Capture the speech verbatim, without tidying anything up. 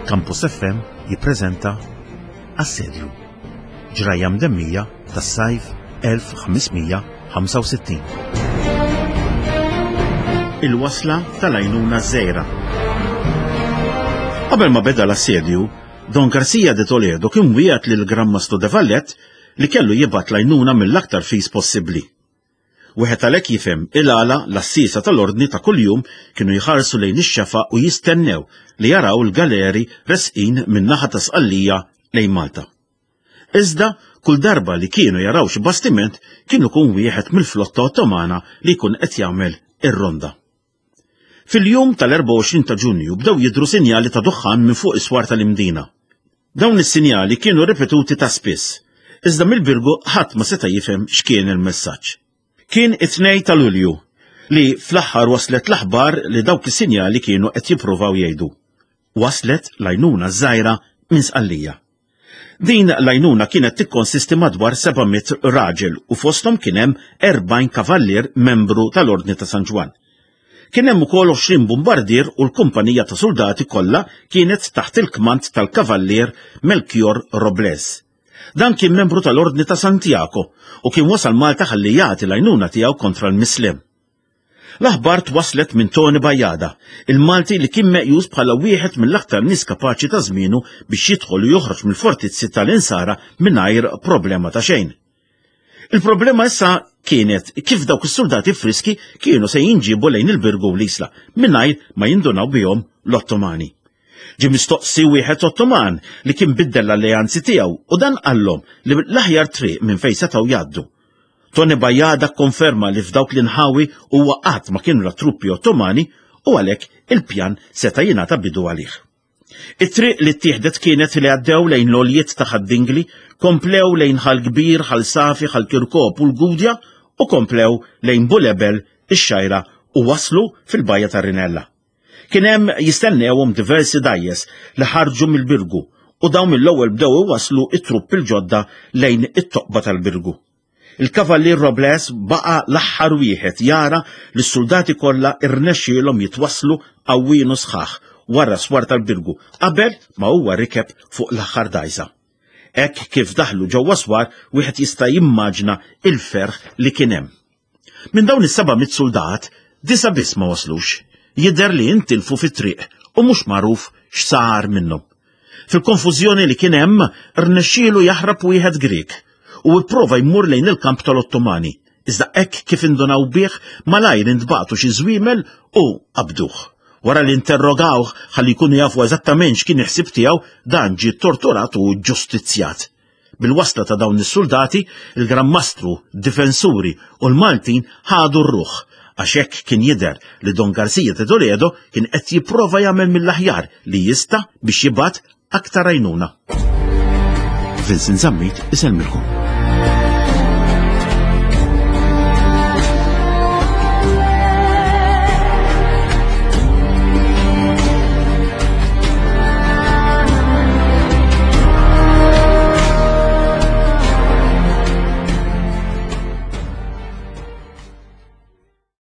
Campus F M jippreżenta Assedju, ġrajja mdemmija tas-sajf elf ħames mija ħamsa u sittin. Il-wasla tal-għajnuna żgħira. Qabel ma beda l-assedju, Don Garcia de Toledo kien wiegħed lil Gran Mastru de Valette li kellu jibgħat l-għajnuna mill-aktar fis possibbli. Wieħed għalhekk jifhem il-għala l-assisa tal-ordni ta' kuljum kienu jħarsu lejn ix-xefaq u jistennew li jaraw l-galeri resqin min-naħa ta' Sqallija lejn Malta. Iżda kull darba li kienu jaraw xi bastiment kienu kun wieħed mill-flotta Ottomana li jkun qed jagħmel ir-ronda. Fil-jum tal-erbgħa u għoxrin ta' Ġunju bdew jidhru sinjali ta' duħħan minn fuq is-swar tal-Imdina. Dawn is-sinjali kienu ripetuti ta' spiss, iżda mill-Birgu ħadd ma seta' jifhem x'kien il-messaġġ. Kien it-tnejn ta' Lulju li fl-aħħar waslet l-aħbar li dawk is-sinjali kienu qed jippruvaw jgħidu. Waslet l-għajnuna żgħira minn Sqallija. Din l-għajnuna kienet tikkonsisti madwar seba' mitt raġel u fosthom kien hemm erbgħin kavallier membru tal-Ordni ta' San Ġwann. Kien hemm ukoll għoxrin bombardier u l-kumpanija ta' soldati kollha kienet taħt il-kmand tal-kavallier Melchior Robles. Dan kien membru tal-Ordni ta' Santiago u kien wasal Malta ħalli jagħti l-għajnuna tiegħu kontra l-Mislem. L-aħbar twaslet minn Tony Bajada, il-Malti li kien meqjus bħala wieħed mill-aktar nies kapaċi ta' żmienu biex jidħol u joħroġ mill-fortizzi tal-Insara mingħajr problema ta' xejn. Il-problema issa kienet kif dawk is-soldati friski kienu se jinġibu lejn il-Birgu u l-Isla mingħajr ma jindunaw bihom l-Ottomani. Ġie mistoqsi wieħed Ottoman li kien biddel l-alleanzi tiegħu u dan qallhom li l-aħjar triq minn fejn setgħu jgħaddu. Tony Bajada konferma li f'dawk l-inħawi huwa qatt ma kienu la truppi Ottomani u għalhekk il-pjan seta' jingħata bidu għalih. It-triq li ttieħdet kienet li għaddew lejn l-għoljiet ta' Ħad-Dingli, komplew lejn Ħal Kbir, Ħal Safi, Ħal Kirkop u l-Gudja u komplew lejn Bulebel, ix-Xgħajra u waslu fil-bajja tar-Rinella. Kien hemm jistennewhom diversi dajjes li ħarġu mill-Birgu u dawn mill-ewwel bdew iwasslu it-truppi l-ġodda lejn it-toqba tal-Birgu. Il-Kavallier Robles baqa' l-aħħar wieħed jara li s-soldati kollha irnexxielhom jitwasslu qawwien u sħaħ wara swar tal-Birgu qabel ma huwa rikeb fuq l-aħħar dajsa. Hekk kif daħlu ġewwa swar wieħed jista' jimmaġna il-ferħ li kien hemm. Minn dawn is-seba' mitt soldat, disa' biss ma waslux. Jidher li intilfu fit-triq u mhux magħruf x'sar minnhom. Fil-konfużjoni li kien hemm, rnexxielu jaħrab wieħed Grek u ipprova jmur lejn il-kamp tal-Ottomani. Iżda hekk kif indunaw bih malajr intbagħtu xi żwiemel u qabduh. Wara li interrogawh ħalli jkunu jafu eżattament x'kien il-ħsieb tiegħu, dan ġie torturat u ġustizzjat. Bil-wasla ta' dawn is-soldati, il-Gran Mastru, difensuri u l-Maltin ħadu r-ruħ, għax hekk kien jidher li Don Garcia de Toledo kien qed jipprova jagħmel mill-aħjar li jista' biex jibgħat aktar għajnuna. Vincent Zammit isellmilkom.